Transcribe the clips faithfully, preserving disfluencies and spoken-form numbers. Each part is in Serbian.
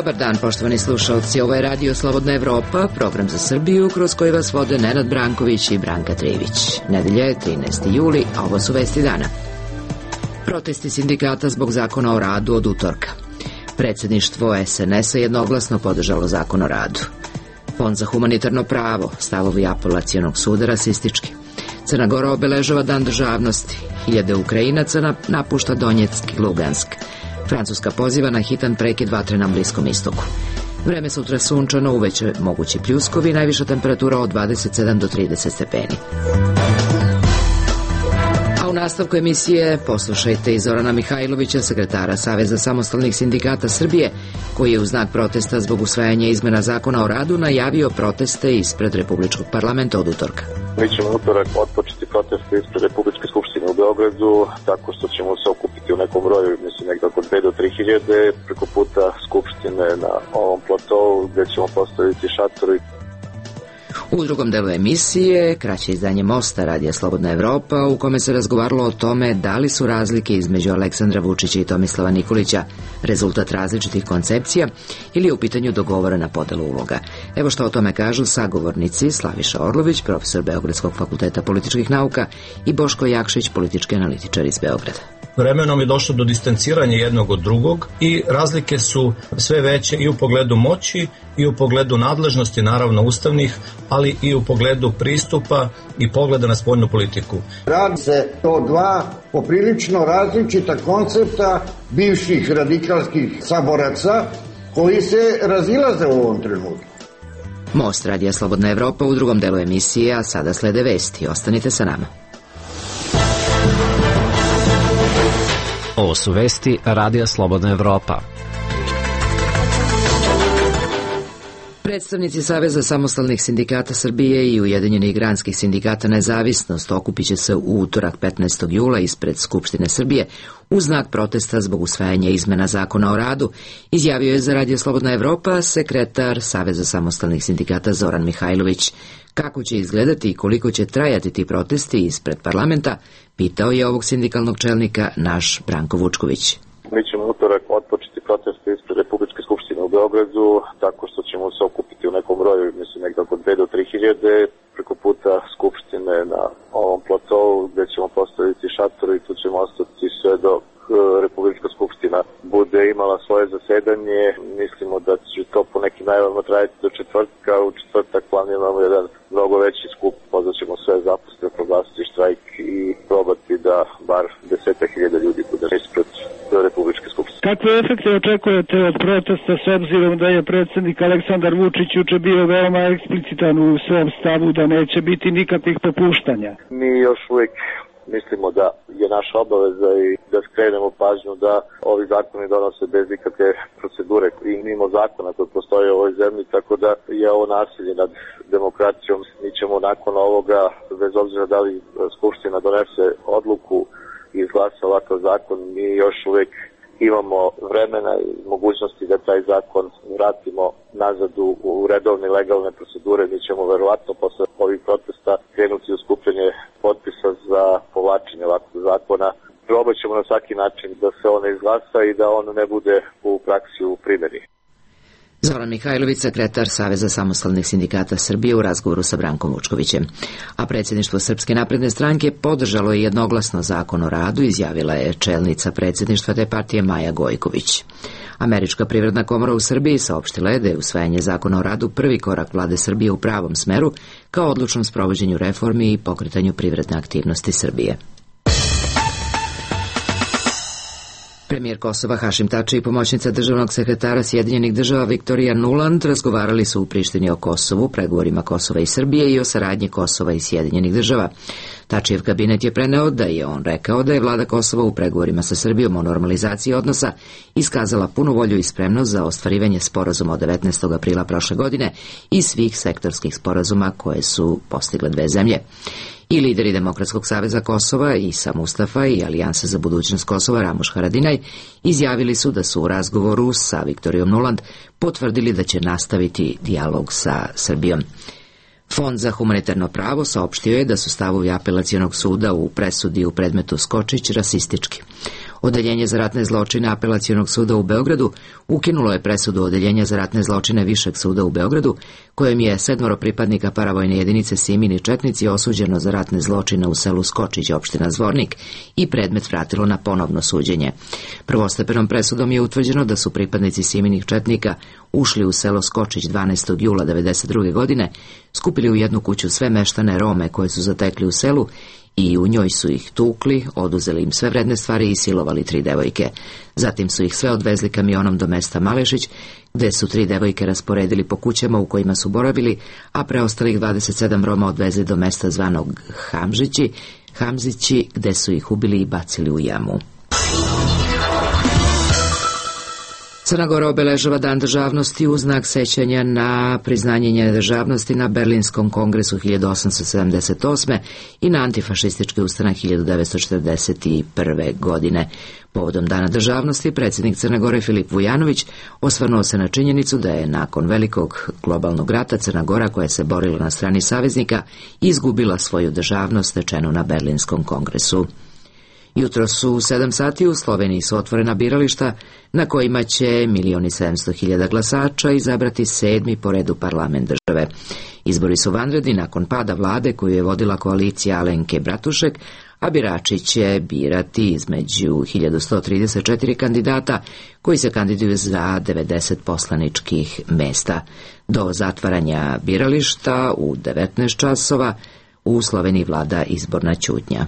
Dobar dan, poštovani slušalci. Ovo je Radio Slobodna Evropa, program za Srbiju, kroz koji vas vode Nenad Branković i Branka Trević. Nedelja je trinaesti juli, a ovo su vesti dana. Protesti sindikata zbog zakona o radu od utorka. Predsjedništvo es en es a jednoglasno podržalo zakon o radu. Fond za humanitarno pravo, stavovi apelacionog suda rasistički. Crna Gora obeležava dan državnosti. Hiljade Ukrajinaca napušta Donjeck i Lugansk. Francuska poziva na hitan prekid vatre na Bliskom istoku. Vreme sutra sunčano, uveće mogući pljuskovi, najviša temperatura od dvadeset sedam do trideset stepeni. A u nastavku emisije poslušajte i Zorana Mihajlovića, sekretara Saveza samostalnih sindikata Srbije, koji je u znak protesta zbog usvajanja izmena zakona o radu najavio proteste ispred Republičkog parlamenta od utorka. Mi ćemo utorak otpočeti proteste ispred Republičke skupštine u Beogradu, tako što ćemo se okupiti u nekom broju, mislim nekako od dve do tri hiljade, preko puta skupštine na ovom platovu gde ćemo postaviti šatori. U drugom delu emisije, kraće izdanje Mosta Radija Slobodna Evropa, u kome se razgovaralo o tome da li su razlike između Aleksandra Vučića i Tomislava Nikolića rezultat različitih koncepcija ili je u pitanju dogovorena podela uloga. Evo što o tome kažu sagovornici Slaviša Orlović, profesor Beogradskog fakulteta političkih nauka, i Boško Jakšić, politički analitičar iz Beograda. Vremenom je došlo do distanciranja jednog od drugog i razlike su sve veće i u pogledu moći i u pogledu nadležnosti, naravno ustavnih, ali i u pogledu pristupa i pogleda na spoljnu politiku. Radi se o dva poprilično različita koncepta bivših radikalskih saboraca koji se razilaze u ovom trenutku. Most Radija Slobodna Evropa u drugom delu emisije, a sada slede vesti. Ostanite sa nama. Ovo su vesti Radija Slobodna Evropa. Predstavnici Saveza samostalnih sindikata Srbije i Ujedinjenih granskih sindikata Nezavisnost okupit će se u utorak petnaestog jula ispred Skupštine Srbije u znak protesta zbog usvajanja izmena zakona o radu, izjavio je za Radio Slobodna Evropa sekretar Saveza samostalnih sindikata Zoran Mihajlović. Kako će izgledati i koliko će trajati ti protesti ispred parlamenta, pitao je ovog sindikalnog čelnika naš Branko Vučković. Mi ćemo utorak otpočeti proteste ispred Republičke skupštine u Beogradu, tako što ćemo se okupiti u nekom broju, mislim nekako od dve do tri hiljade, preko puta skupštine na ovom platovu gde ćemo postaviti šator i tu ćemo ostati sve dok Republička skupština bude imala svoje zasedanje. Mislimo da će to po nekim najavama trajati do četvrtka. U četvrtak planiramo jedan mnogo veći skup, pozvaćemo sve zaposlene, proglasiti štrajk i probati da bar desetak hiljada ljudi bude ispred Republičke skupštine. Kakve efekte očekujete od protesta s obzirom da je predsjednik Aleksandar Vučić juče bio veoma eksplicitan u svom stavu da neće biti nikakvih popuštanja? Mi još uvijek mislimo da je naša obaveza i da skrenemo pažnju da ovi zakoni donose bez ikakve procedure i mimo zakona koji postoje u ovoj zemlji, tako da je ovo nasilje nad demokracijom. Mi ćemo nakon ovoga, bez obzira da li Skupština donese odluku i izglasa ovakav zakon, mi još uvijek imamo vremena i mogućnosti da taj zakon vratimo nazad u redovne legalne procedure. Mi ćemo verovatno posle ovih protesta krenuti u skupljanje potpisa za povlačenje ovakvog zakona. Probat ćemo na svaki način da se on izglasa i da on ne bude u praksi u primjeni. Zoran Mihajlović, sekretar Saveza samostalnih sindikata Srbije u razgovoru sa Brankom Vučkovićem. A predsjedništvo Srpske napredne stranke podržalo je jednoglasno zakon o radu, izjavila je čelnica predsjedništva te partije Maja Gojković. Američka privredna komora u Srbiji saopštila je da je usvajanje zakona o radu prvi korak vlade Srbije u pravom smeru kao odlučnom sprovođenju reformi i pokretanju privredne aktivnosti Srbije. Premijer Kosova Hašim Tači i pomoćnica državnog sekretara Sjedinjenih država Viktorija Nuland razgovarali su u Prištini o Kosovu, pregovorima Kosova i Srbije i o saradnji Kosova i Sjedinjenih država. Tačijev kabinet je preneo da je on rekao da je vlada Kosova u pregovorima sa Srbijom o normalizaciji odnosa iskazala punu volju i spremnost za ostvarivanje sporazuma od devetnaestog aprila prošle godine i svih sektorskih sporazuma koje su postigle dve zemlje. I lideri Demokratskog saveza Kosova Isa Mustafa i Alijansa za budućnost Kosova Ramuš Haradinaj izjavili su da su u razgovoru sa Viktorijom Nuland potvrdili da će nastaviti dijalog sa Srbijom. Fond za humanitarno pravo saopštio je da su stavovi apelacionog suda u presudi u predmetu Skočić rasistički. Odeljenje za ratne zločine Apelacionog suda u Beogradu ukinulo je presudu Odeljenja za ratne zločine Višeg suda u Beogradu, kojem je sedmoro pripadnika paravojne jedinice Simini četnici osuđeno za ratne zločine u selu Skočić, opština Zvornik, i predmet vratilo na ponovno suđenje. Prvostepenom presudom je utvrđeno da su pripadnici Siminih četnika ušli u selo Skočić dvanaestog jula devedeset druge godine, skupili u jednu kuću sve meštane Rome koje su zatekli u selu i u njoj su ih tukli, oduzeli im sve vredne stvari i silovali tri devojke. Zatim su ih sve odvezli kamionom do mesta Malešić, gde su tri devojke rasporedili po kućama u kojima su boravili, a preostalih dvadeset sedam Roma odvezli do mesta zvanog Hamžići, Hamzići, gde su ih ubili i bacili u jamu. Crna Gora obeležava Dan državnosti u znak sećanja na priznanje njene državnosti na Berlinskom kongresu hiljadu osamsto sedamdeset osme i na antifašistički ustanak hiljadu devetsto četrdeset prve. godine. Povodom Dana državnosti, predsjednik Crne Gore Filip Vujanović osvrnuo se na činjenicu da je nakon velikog globalnog rata Crna Gora, koja se borila na strani saveznika, izgubila svoju državnost stečenu na Berlinskom kongresu. Jutro su u sedam sati u Sloveniji su otvorena birališta na kojima će milion i sedamsto hiljada glasača izabrati sedmi po redu parlament države. Izbori su vanredni nakon pada vlade koju je vodila koalicija Alenke Bratušek, a birači će birati između hiljadu sto trideset četiri kandidata koji se kandiduju za devedeset poslaničkih mesta. Do zatvaranja birališta u devetnaest časova u Sloveniji vlada izborna ćutnja.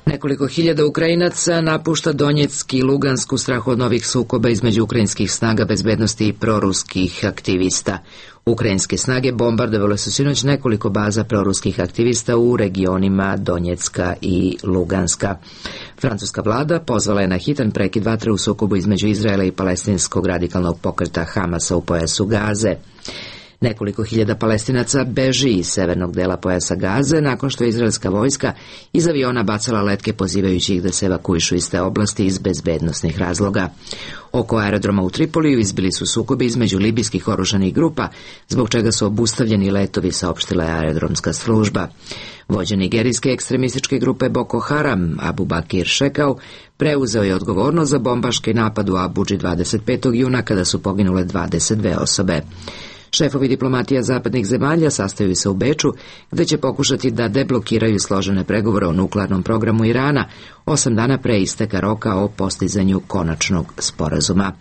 Nekoliko hiljada Ukrajinaca napušta Donjeck i Lugansk u strahu od novih sukoba između ukrajinskih snaga bezbednosti i proruskih aktivista. Ukrajinske snage bombardovale su sinoć nekoliko baza proruskih aktivista u regionima Donjecka i Luganska. Francuska vlada pozvala je na hitan prekid vatre u sukobu između Izraela i palestinskog radikalnog pokreta Hamasa u pojasu Gaze. Nekoliko hiljada Palestinaca beži iz severnog dela pojasa Gaze nakon što je izraelska vojska iz aviona bacala letke pozivajući ih da se evakuišu iz te oblasti iz bezbednosnih razloga. Oko aerodroma u Tripoliju izbili su sukobi između libijskih oružanih grupa, zbog čega su obustavljeni letovi, saopštila je aerodromska služba. Vođa nigerijske ekstremističke grupe Boko Haram, Abu Bakir Šekau, preuzeo je odgovornost za bombaški napad u Abudži dvadeset petog juna kada su poginule dvadeset dve osobe. Šefovi diplomatija zapadnih zemalja sastaju se u Beču, gde će pokušati da deblokiraju složene pregovore o nuklearnom programu Irana, osam dana pre isteka roka o postizanju konačnog sporazuma.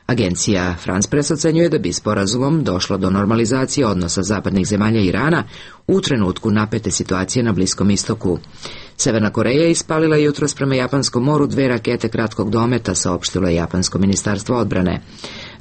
Agencija France Press ocenjuje da bi sporazumom došlo do normalizacije odnosa zapadnih zemalja i Irana u trenutku napete situacije na Bliskom istoku. Severna Koreja ispalila jutros prema Japanskom moru dve rakete kratkog dometa, saopštilo je Japansko ministarstvo odbrane.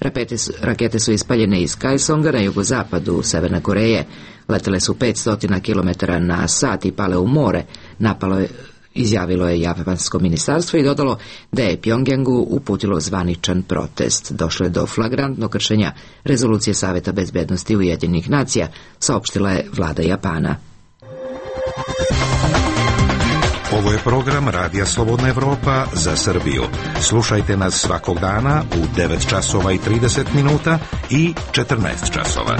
Rakete su, rakete su ispaljene iz Kaesonga na jugozapadu Severne Koreje. Letele su petsto kilometara na sat i pale u more. Napalo je, izjavilo je Japansko ministarstvo i dodalo da je Pjongjangu uputilo zvaničan protest. Došlo je do flagrantnog kršenja rezolucije Saveta bezbednosti Ujedinjenih nacija, saopštila je vlada Japana. Ovo je program Radija Slobodna Evropa za Srbiju. Slušajte nas svakog dana u devet časova i trideset minuta i četrnaest časova.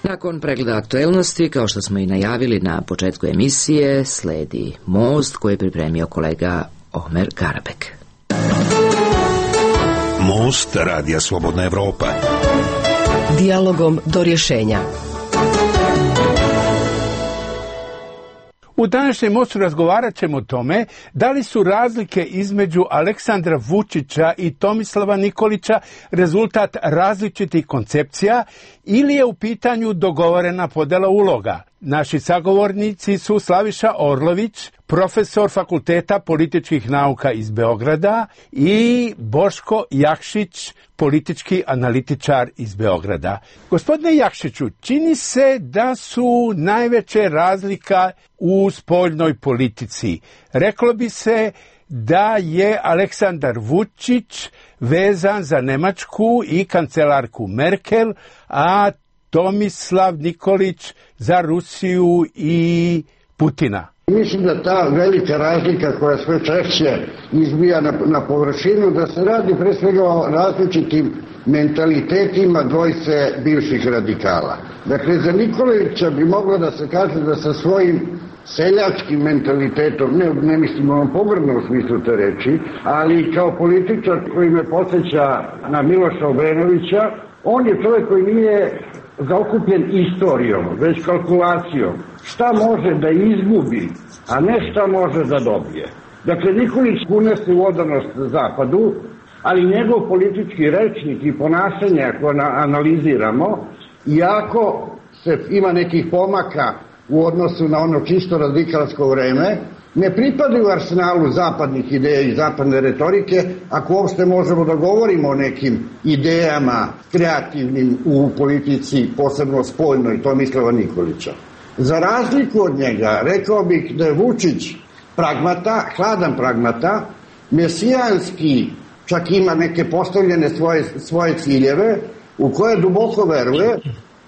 Nakon pregleda aktuelnosti, kao što smo i najavili na početku emisije, sledi Most koji je pripremio kolega Omer Karabek. Most Radija Slobodna Evropa. Dijalogom do rješenja. U današnjem Mostu razgovarat ćemo o tome da li su razlike između Aleksandra Vučića i Tomislava Nikolića rezultat različitih koncepcija ili je u pitanju dogovorena podela uloga. Naši sagovornici su Slaviša Orlović, profesor Fakulteta političkih nauka iz Beograda, i Boško Jakšić, politički analitičar iz Beograda. Gospodine Jakšiću, čini se da su najveće razlika u spoljnoj politici. Reklo bi se da je Aleksandar Vučić vezan za Nemačku i kancelarku Merkel, a Tomislav Nikolić za Rusiju i Putina. Mislim da ta velika razlika koja sve češće izbija na, na površinu, da se radi pre svega o različitim mentalitetima dvojice bivših radikala. Dakle, za Nikolića bi moglo da se kaže da sa svojim seljačkim mentalitetom, ne, ne mislim onom pogrdnom smislu te reči, ali kao političar koji me podsjeća na Miloša Obrenovića, on je čovjek koji nije zaokupljen istorijom, već kalkulacijom. Šta može da izgubi, a ne šta može da dobije. Dakle, Nikolić kune se u odanost Zapadu, ali njegov politički rečnik i ponašanje, ako analiziramo, iako se ima nekih pomaka u odnosu na ono čisto radikalsko vreme, ne pripadaju arsenalu zapadnih ideja i zapadne retorike, ako uopšte možemo da govorimo o nekim idejama kreativnim u politici, posebno spoljnoj Tomislava Nikolića. Za razliku od njega, rekao bih da je Vučić pragmata, hladan pragmata, mesijanski, čak ima neke postavljene svoje, svoje ciljeve, u koje duboko veruje,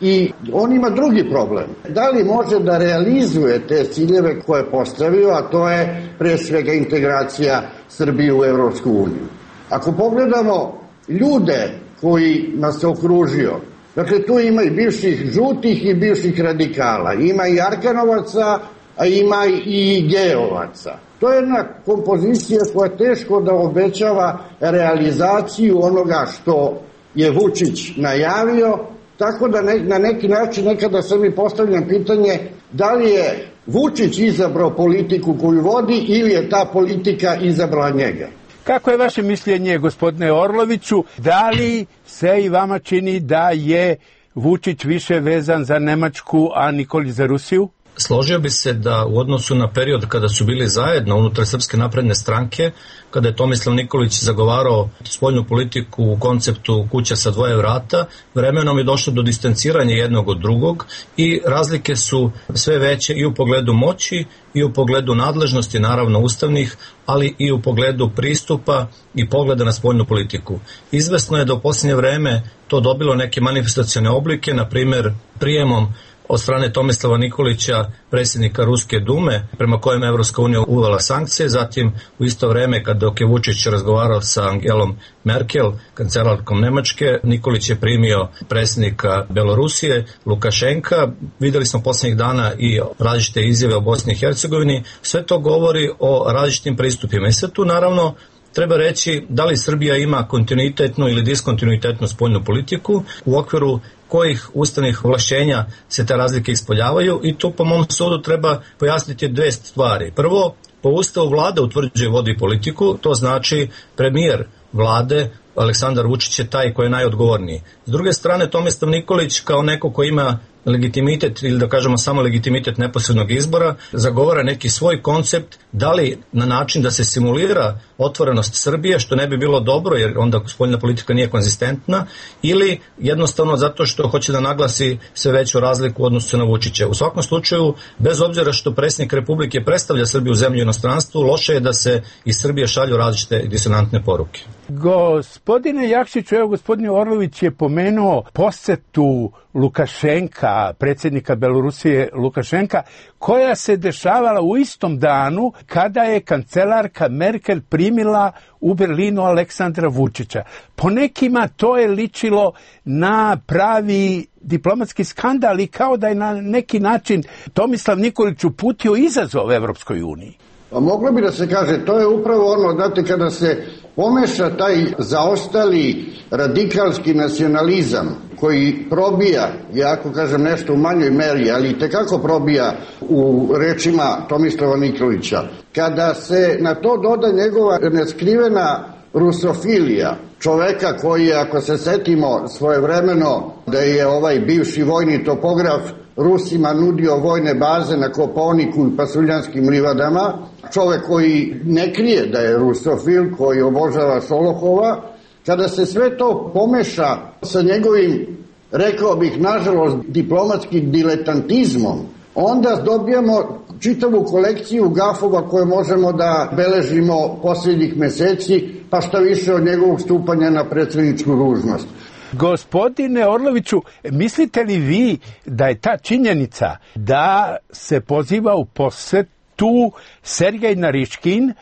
i on ima drugi problem. Da li može da realizuje te ciljeve koje je postavio, a to je pre svega integracija Srbije u Evropsku uniju. Ako pogledamo ljude koji nas se okružio, dakle tu ima i bivših žutih i bivših radikala, ima i Arkanovaca, a ima i Geovaca. To je jedna kompozicija koja je teško da obećava realizaciju onoga što je Vučić najavio, tako da ne, na neki način nekada se mi postavljam pitanje da li je Vučić izabrao politiku koju vodi ili je ta politika izabrala njega. Kako je vaše mišljenje, gospodine Orloviću, da li se i vama čini da je Vučić više vezan za Nemačku, a Nikolić za Rusiju? Složio bi se da u odnosu na period kada su bili zajedno unutar Srpske napredne stranke, kada je Tomislav Nikolić zagovarao spoljnu politiku u konceptu kuća sa dvoje vrata, vremenom je došlo do distanciranja jednog od drugog i razlike su sve veće i u pogledu moći i u pogledu nadležnosti, naravno ustavnih, ali i u pogledu pristupa i pogleda na spoljnu politiku. Izvesno je da u posljednje vreme to dobilo neke manifestacione oblike, na primjer prijemom od strane Tomislava Nikolića, predsjednika Ruske dume, prema kojem je Evropska unija uvela sankcije, zatim u isto vreme kad dok je Vučić razgovarao sa Angelom Merkel, kancelarkom Nemačke, Nikolić je primio predsjednika Belorusije, Lukašenka. Videli smo posljednjih dana i različite izjave o Bosni i Hercegovini. Sve to govori o različitim pristupima. I sve tu naravno treba reći da li Srbija ima kontinuitetnu ili diskontinuitetnu spoljnu politiku, u okviru kojih ustavnih ovlašćenja se te razlike ispoljavaju, i tu po mom sudu treba pojasniti dve stvari. Prvo, po ustavu vlada utvrđuje vodi politiku, to znači premijer vlade Aleksandar Vučić je taj koji je najodgovorniji. S druge strane, Tomislav Nikolić kao neko ko ima legitimitet ili da kažemo samo legitimitet neposrednog izbora, zagovara neki svoj koncept, da li na način da se simulira otvorenost Srbije, što ne bi bilo dobro jer onda spoljna politika nije konzistentna, ili jednostavno zato što hoće da naglasi sve veću razliku u odnosu na Vučića. U svakom slučaju, bez obzira što predsjednik Republike predstavlja Srbiju u zemlji i inostranstvu, loše je da se iz Srbije šalju različite disonantne poruke. Gospodine Jakšiću, evo gospodin Orlović je pomenuo posetu Lukašenka, predsjednika Belorusije Lukašenka, koja se dešavala u istom danu kada je kancelarka Merkel primila u Berlinu Aleksandra Vučića. Po nekima to je ličilo na pravi diplomatski skandal i kao da je na neki način Tomislav Nikolić uputio izazov Evropskoj uniji. Pa moglo bi da se kaže, to je upravo ono, znate, kada se pomeša taj zaostali radikalski nacionalizam koji probija, ja ako kažem nešto u manjoj meri, ali tekako probija u rečima Tomislava Nikolića, kada se na to doda njegova neskrivena rusofilija, čoveka koji je, ako se setimo svojevremeno, da je ovaj bivši vojni topograf Rusima nudio vojne baze na Kopaoniku i Pasuljanskim livadama, čovek koji ne krije da je rusofil, koji obožava Šolohova, kada se sve to pomeša sa njegovim, rekao bih, nažalost, diplomatskim diletantizmom, onda dobijamo čitavu kolekciju gafova koje možemo da beležimo posljednjih meseci, pa šta više od njegovog stupanja na predsjedničku dužnost. Gospodine Orloviću, mislite li vi da je ta činjenica da se poziva u posetu tu Sergej Nariškin,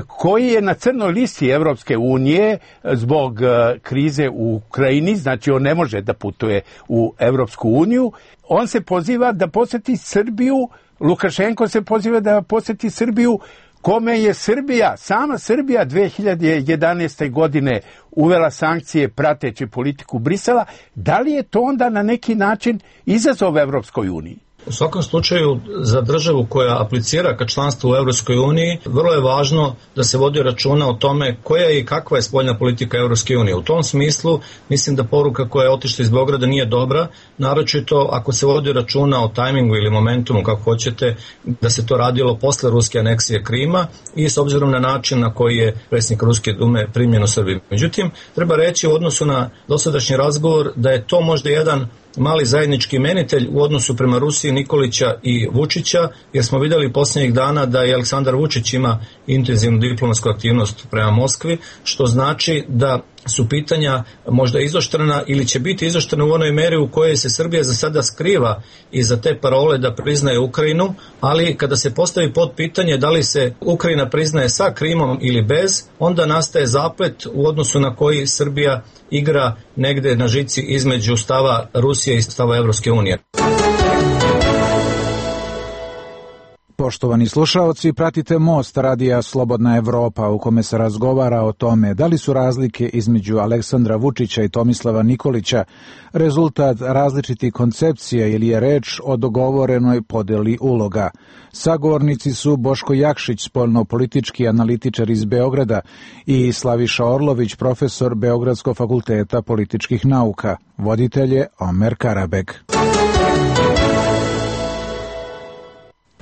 koji je na crnoj listi Evropske unije zbog krize u Ukrajini, znači on ne može da putuje u Evropsku uniju. On se poziva da poseti Srbiju, Lukašenko se poziva da poseti Srbiju, kome je Srbija, sama Srbija dve hiljade jedanaeste. godine uvela sankcije prateći politiku Brisela. Da li je to onda na neki način izazov Evropskoj uniji? U svakom slučaju, za državu koja aplicira ka članstvu u Evropskoj uniji, vrlo je važno da se vodi računa o tome koja je i kakva je spoljna politika Evropske unije. U tom smislu, mislim da poruka koja je otišla iz Beograda nije dobra, naročito ako se vodi računa o tajmingu ili momentumu, kako hoćete, da se to radilo posle ruske aneksije Krima i s obzirom na način na koji je predsjednik Ruske dume primljen u Srbiji. Međutim, treba reći u odnosu na dosadašnji razgovor da je to možda jedan mali zajednički imenitelj u odnosu prema Rusiji, Nikolića i Vučića, jer smo vidjeli posljednjih dana da i Aleksandar Vučić ima intenzivnu diplomatsku aktivnost prema Moskvi, što znači da su pitanja možda izoštrena ili će biti izoštrena u onoj meri u kojoj se Srbija za sada skriva iza te parole da priznaje Ukrajinu, ali kada se postavi pod pitanje da li se Ukrajina priznaje sa Krimom ili bez, onda nastaje zaplet u odnosu na koji Srbija igra negde na žici između stava Rusije i stava Evropske unije. Poštovani slušaoci, pratite Most radija Slobodna Evropa u kome se razgovara o tome da li su razlike između Aleksandra Vučića i Tomislava Nikolića rezultat različitih koncepcija ili je reč o dogovorenoj podeli uloga. Sagovornici su Boško Jakšić, spoljno-politički analitičar iz Beograda, i Slaviša Orlović, profesor Beogradskog fakulteta političkih nauka. Voditelj je Omer Karabeg.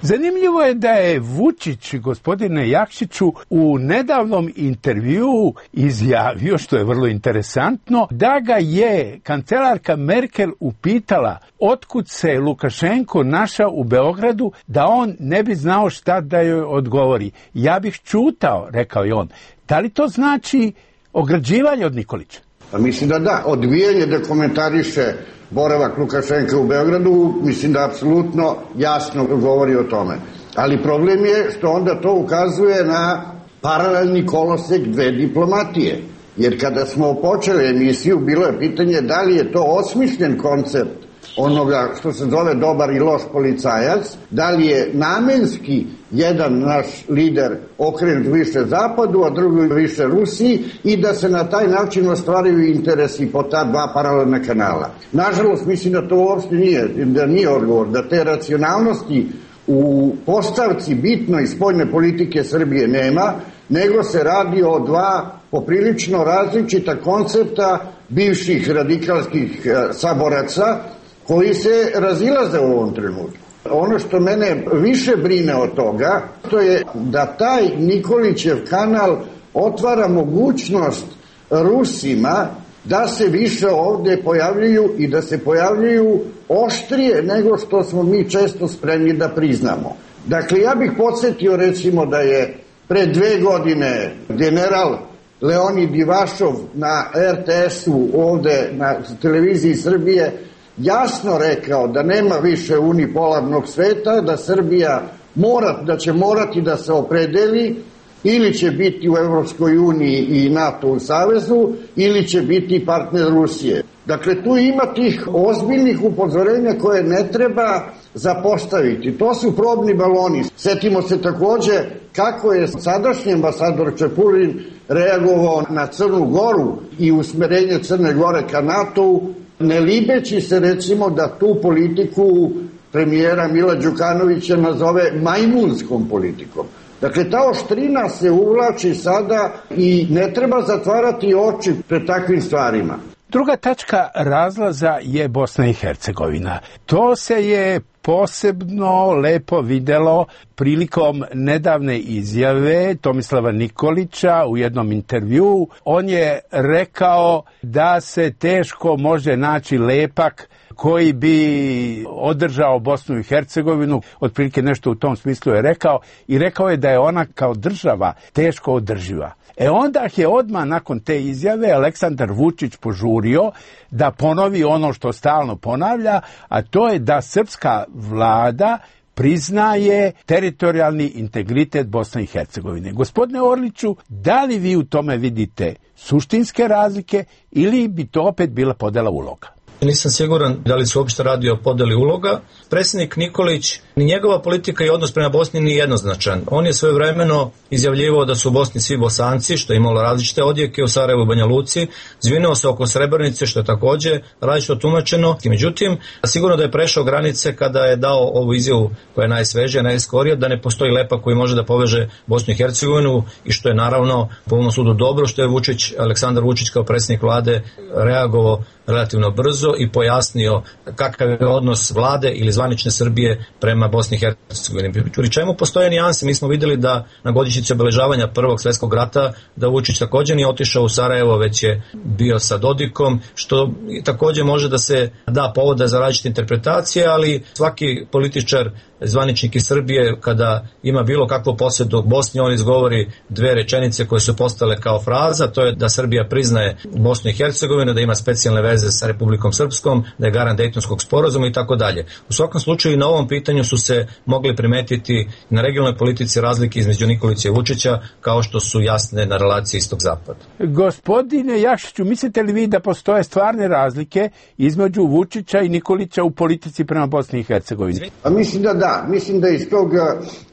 Zanimljivo je da je Vučić, gospodine Jakšiću, u nedavnom intervjuu izjavio, što je vrlo interesantno, da ga je kancelarka Merkel upitala otkud se Lukašenko našao u Beogradu, da on ne bi znao šta da joj odgovori. Ja bih čutao, rekao je on. Da li to znači ograđivanje od Nikolića? Pa mislim da da, odbijanje da komentariše boravak Lukašenka u Beogradu, mislim da apsolutno jasno govori o tome. Ali problem je što onda to ukazuje na paralelni kolosek dve diplomatije. Jer kada smo počeli emisiju, bilo je pitanje da li je to osmišljen koncept onoga što se zove dobar i loš policajac, da li je namenski jedan naš lider okrenut više zapadu, a drugi više Rusiji i da se na taj način ostvaraju interesi po ta dva paralelna kanala. Nažalost, mislim da to uopšte nije, da nije odgovor, da te racionalnosti u postavci bitnoj spoljne politike Srbije nema, nego se radi o dva poprilično različita koncepta bivših radikalskih saboraca koji se razilaze u ovom trenutku. Ono što mene više brine od toga, to je da taj Nikolićev kanal otvara mogućnost Rusima da se više ovde pojavljuju i da se pojavljuju oštrije nego što smo mi često spremni da priznamo. Dakle, ja bih podsjetio recimo da je pre dve godine general Leonid Ivašov na er te esu ovde na televiziji Srbije jasno rekao da nema više unipolarnog sveta, da Srbija mora, da će morati da se opredeli ili će biti u Evropskoj uniji i NATO u savezu ili će biti partner Rusije. Dakle, tu ima tih ozbiljnih upozorenja koje ne treba zapostaviti. To su probni baloni. Setimo se takođe kako je sadašnji ambasador Čepulin reagovao na Crnu Goru i usmerenje Crne Gore ka NATO-u, ne libeći se recimo da tu politiku premijera Mila Đukanovića nazove majmunskom politikom. Dakle, ta oštrina se uvlači sada i ne treba zatvarati oči pred takvim stvarima. Druga tačka razlaza je Bosna i Hercegovina. To se je posebno lepo videlo prilikom nedavne izjave Tomislava Nikolića u jednom intervjuu. On je rekao da se teško može naći lepak koji bi održao Bosnu i Hercegovinu, otprilike nešto u tom smislu je rekao, i rekao je da je ona kao država teško održiva. E onda je odmah nakon te izjave Aleksandar Vučić požurio da ponovi ono što stalno ponavlja, a to je da srpska vlada priznaje teritorijalni integritet Bosne i Hercegovine. Gospodine Orliću, da li vi u tome vidite suštinske razlike ili bi to opet bila podela uloga? Nisam siguran da li se uopšte radi o podeli uloga. Predsjednik Nikolić, ni njegova politika i odnos prema Bosni nije jednoznačan. On je svojevremeno izjavljivao da su u Bosni svi Bosanci, što je imalo različite odjeke, u Sarajevu i Banja Luci, zvinuo se oko Srebrenice, što je takođe različito tumačeno. Međutim, sigurno da je prešao granice kada je dao ovu izjavu koja je najsvežija, najskorija, da ne postoji lepak koji može da poveže Bosnu i Hercegovinu i što je naravno po mom sudu dobro, što je Vučić, Aleksandar Vučić kao predsjednik vlade reagovao relativno brzo i pojasnio kakav je odnos vlade ili zvanične Srbije prema Bosni i Hercegovini. Pri čemu postoje nijanse, mi smo videli da na godišnjici obeležavanja Prvog svjetskog rata da Vučić također nije otišao u Sarajevo, već je bio sa Dodikom, što također može da se da povoda za različite interpretacije, ali svaki političar, zvaničnik iz Srbije, kada ima bilo kakvu posjedu Bosni, on izgovori dve rečenice koje su postale kao fraza, to je da Srbija priznaje Bosnu i Hercegovinu, da ima specijalne veze sa Republikom Srpskom, da je garant Dejtonskog sporazuma i tako dalje. U svakom slučaju i na ovom pitanju su se mogli primetiti na regionalnoj politici razlike između Nikolića i Vučića, kao što su jasne na relaciji istok-zapad. Gospodine Jakšiću, mislite li vi da postoje stvarne razlike između Vučića i Nikolića u politici prema Bosni i Hercegovini? A mislim da da. Mislim da iz tog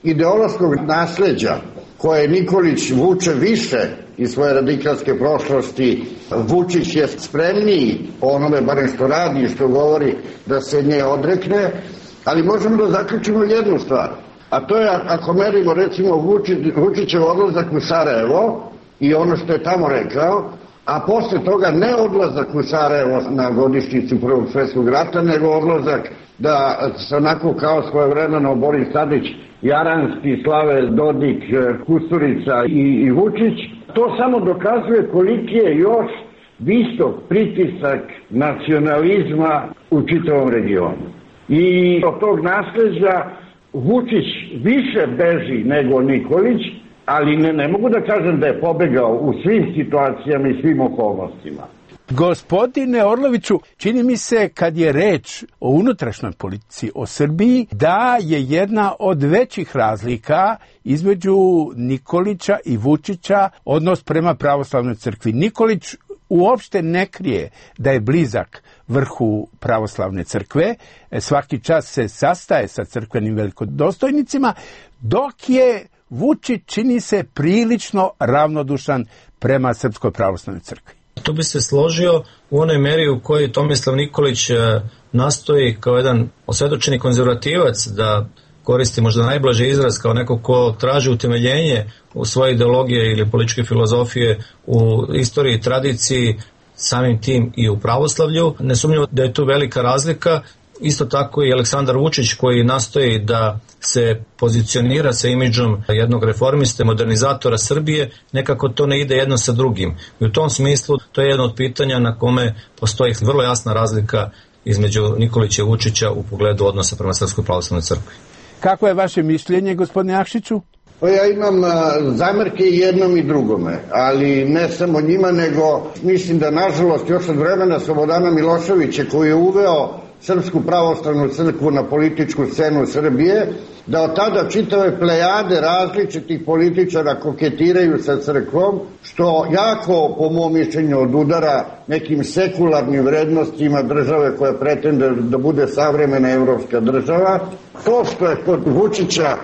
ideološkog nasleđa koje Nikolić vuče više iz svoje radikalske prošlosti, Vučić je spremniji po onome, barem što radi i što govori, da se nje odrekne, ali možemo da zaključimo jednu stvar, a to je ako merimo recimo Vučić, Vučićev odlazak u Sarajevo i ono što je tamo rekao, a posle toga ne odlazak u Sarajevo na godišnjicu Prvog svjetskog rata, nego odlazak da se onako kao svojevremeno Boris Tadić, Jaranski, Slave Dodik, Kusturica i, i Vučić, to samo dokazuje koliki je još visok pritisak nacionalizma u čitavom regionu. I od tog nasleđa Vučić više beži nego Nikolić, ali ne, ne mogu da kažem da je pobegao u svim situacijama i svim okolnostima. Gospodine Orloviću, čini mi se kad je reč o unutrašnjoj politici, o Srbiji, da je jedna od većih razlika između Nikolića i Vučića odnos prema pravoslavnoj crkvi. Nikolić uopšte ne krije da je blizak vrhu pravoslavne crkve, svaki čas se sastaje sa crkvenim velikodostojnicima, dok je Vučić, čini se, prilično ravnodušan prema Srpskoj pravoslavnoj crkvi. Tu bi se složio u onoj meri u kojoj Tomislav Nikolić nastoji kao jedan osvjedočeni konzervativac da koristi možda najblaži izraz kao neko ko traži utemeljenje u svoje ideologije ili političke filozofije u istoriji i tradiciji, samim tim i u pravoslavlju. Nesumnjivo da je tu velika razlika. Isto tako i Aleksandar Vučić koji nastoji da se pozicionira sa imidžom jednog reformiste, modernizatora Srbije, nekako to ne ide jedno sa drugim. I u tom smislu to je jedno od pitanja na kome postoji vrlo jasna razlika između Nikolića i Vučića u pogledu odnosa prema Srpskoj pravoslavnoj crkvi. Kako je vaše mišljenje, gospodine Jakšiću? Pa ja imam zamerke i jednom i drugome, ali ne samo njima, nego mislim da nažalost još od vremena Slobodana Miloševića koji je uveo Srpsku pravoslavnu crkvu na političku scenu Srbije, da od tada čitave plejade različitih političara koketiraju sa crkvom, što jako, po mom mišljenju, odudara nekim sekularnim vrednostima države koja pretende da bude savremena evropska država. To što je kod Vučića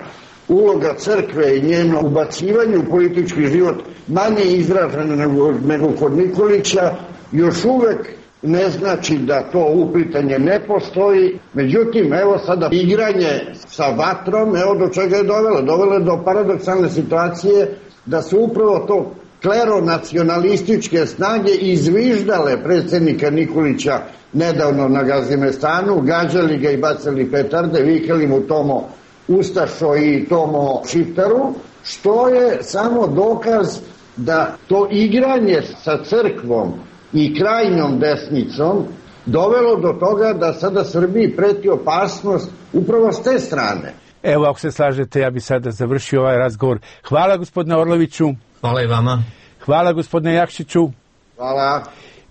uloga crkve i njeno ubacivanje u politički život manje izražena nego, nego kod Nikolića, još uvek ne znači da to uplitanje ne postoji. Međutim, evo sada igranje sa vatrom, evo do čega je dovelo. Dovelo je do paradoksalne situacije da su upravo to kleronacionalističke snage izviždale predsjednika Nikolića nedavno na Gazimestanu, gađali ga i bacali petarde, vikali mu Tomo Ustašo i Tomo Šiptaru, što je samo dokaz da to igranje sa crkvom i krajnjom desnicom dovelo do toga da sada Srbiji preti opasnost upravo s te strane. Evo, ako se slažete, ja bi sada završio ovaj razgovor. Hvala gospodine Orloviću. Hvala i vama. Hvala gospodine Jakšiću. Hvala.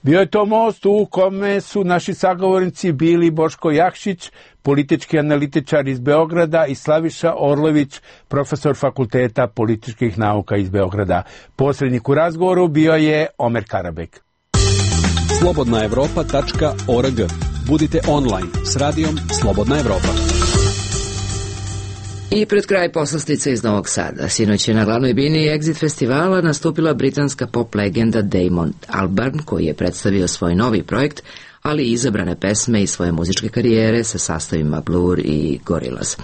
Bio je to most u kome su naši sagovornici bili Boško Jakšić, politički analitičar iz Beograda, i Slaviša Orlović, profesor Fakulteta političkih nauka iz Beograda. Posrednik u razgovoru bio je Omer Karabek. slobodna evropa tačka org. Budite online s radijom Slobodna Evropa. I pred kraj poslastica iz Novog Sada. Sinoć je na glavnoj bini Exit festivala nastupila britanska pop legenda Damon Albarn, koji je predstavio svoj novi projekt, ali i izabrane pesme iz svoje muzičke karijere sa sastavima Blur i Gorillaz.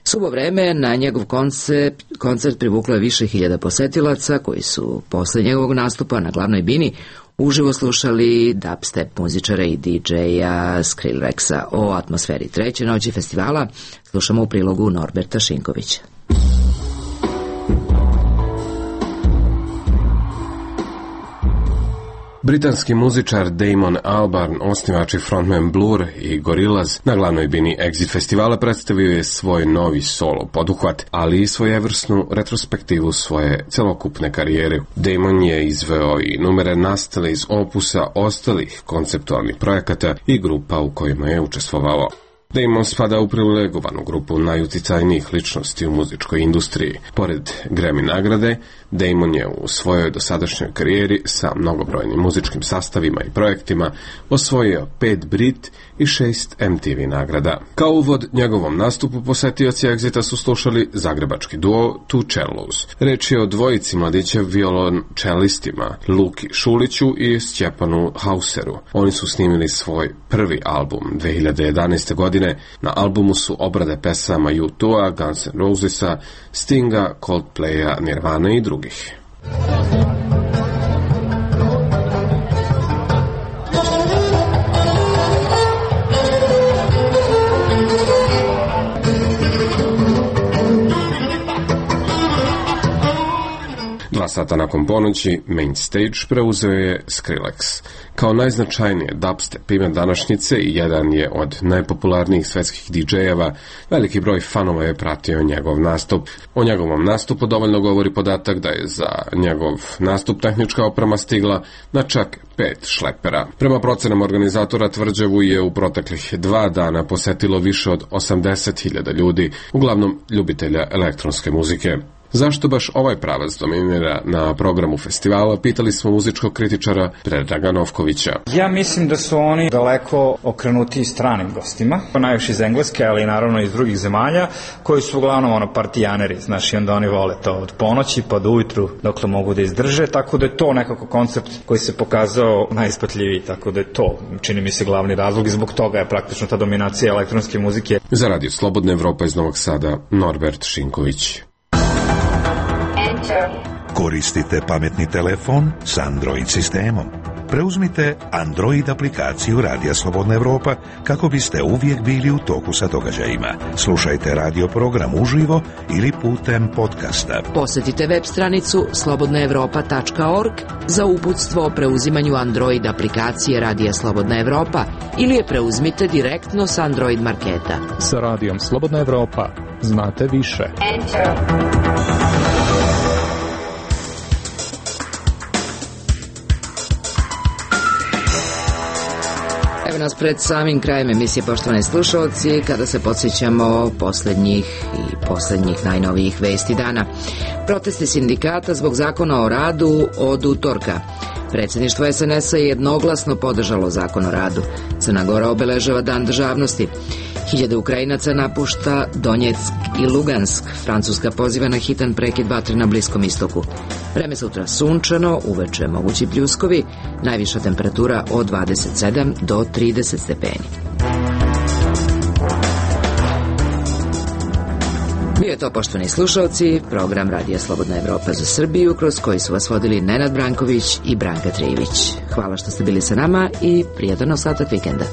Suvo vreme na njegov koncert, koncert privuklo je više hiljada posetilaca koji su posle njegovog nastupa na glavnoj bini uživo slušali dubstep muzičara i di džeja Skrillexa. O atmosferi treće noći festivala slušamo u prilogu Norberta Šinkovića. Britanski muzičar Damon Albarn, osnivač i frontman Blur i Gorillaz, na glavnoj bini Exit festivala predstavio je svoj novi solo poduhvat, ali i svojevrsnu retrospektivu svoje celokupne karijere. Damon je izveo i numere nastale iz opusa ostalih konceptualnih projekata i grupa u kojima je učestvovao. Damon spada u privilegovanu grupu najuticajnijih ličnosti u muzičkoj industriji. Pored Grammy nagrade, Damon je u svojoj dosadašnjoj karijeri sa mnogobrojnim muzičkim sastavima i projektima osvojio pet Brit i šest em te ve nagrada. Kao uvod njegovom nastupu posetioci Exita su slušali zagrebački duo Two Cellos. Reč je o dvojici mladića violončelistima, Luki Šuliću i Stjepanu Hauseru. Oni su snimili svoj prvi album dve hiljade jedanaeste. godine. Na albumu su obrade pesama U dva, Guns N' Rosesa, Stinga, Coldplaya, Nirvana i drugih. Dva sata nakon ponoći main stage preuzeo je Skrillex. Kao najznačajnije dubstep ime današnjice i jedan je od najpopularnijih svetskih di džejeva, veliki broj fanova je pratio njegov nastup. O njegovom nastupu dovoljno govori podatak da je za njegov nastup tehnička oprema stigla na čak pet šlepera. Prema procenama organizatora tvrđavu je u proteklih dva dana posetilo više od osamdeset hiljada ljudi, uglavnom ljubitelja elektronske muzike. Zašto baš ovaj pravac dominira na programu festivala, pitali smo muzičkog kritičara Predraga Novkovića. Ja mislim da su oni daleko okrenuti stranim gostima, najviše iz Engleske, ali naravno iz drugih zemalja, koji su uglavnom ono partijaneri, znaš, i onda oni vole to od ponoći pa do ujutru dokle mogu da izdrže, tako da je to nekako koncept koji se pokazao najispatljiviji, tako da je to, čini mi se, glavni razlog i zbog toga je praktično ta dominacija elektronske muzike. Za radio Slobodna Evropa iz Novog Sada, Norbert Šinković. Koristite pametni telefon s Android sistemom. Preuzmite Android aplikaciju Radija Slobodna Evropa kako biste uvijek bili u toku sa događajima. Slušajte radio program uživo ili putem podcasta. Posjetite web stranicu slobodna evropa tačka org za uputstvo o preuzimanju Android aplikacije Radija Slobodna Evropa ili je preuzmite direktno s Android marketa. Sa Radijom Slobodna Evropa znate više. Enter. Evo nas pred samim krajem emisije, poštovani slušalci, kada se podsjećamo posljednjih i posljednjih najnovijih vesti dana. Protesti sindikata zbog zakona o radu od utorka. Predsjedništvo es en es a je jednoglasno podržalo zakon o radu. Crna Gora obeležava dan državnosti. Hiljade Ukrajinaca napušta Donjeck i Lugansk. Francuska poziva na hitan prekid vatre na Bliskom istoku. Vreme sutra sunčano, uveče mogući pljuskovi, najviša temperatura od dvadeset sedam do trideset stepeni. Bio je to, poštovani slušalci, program Radija Slobodna Evropa za Srbiju, kroz koji su vas vodili Nenad Branković i Branka Trijević. Hvala što ste bili sa nama i prijatan ostatak vikenda.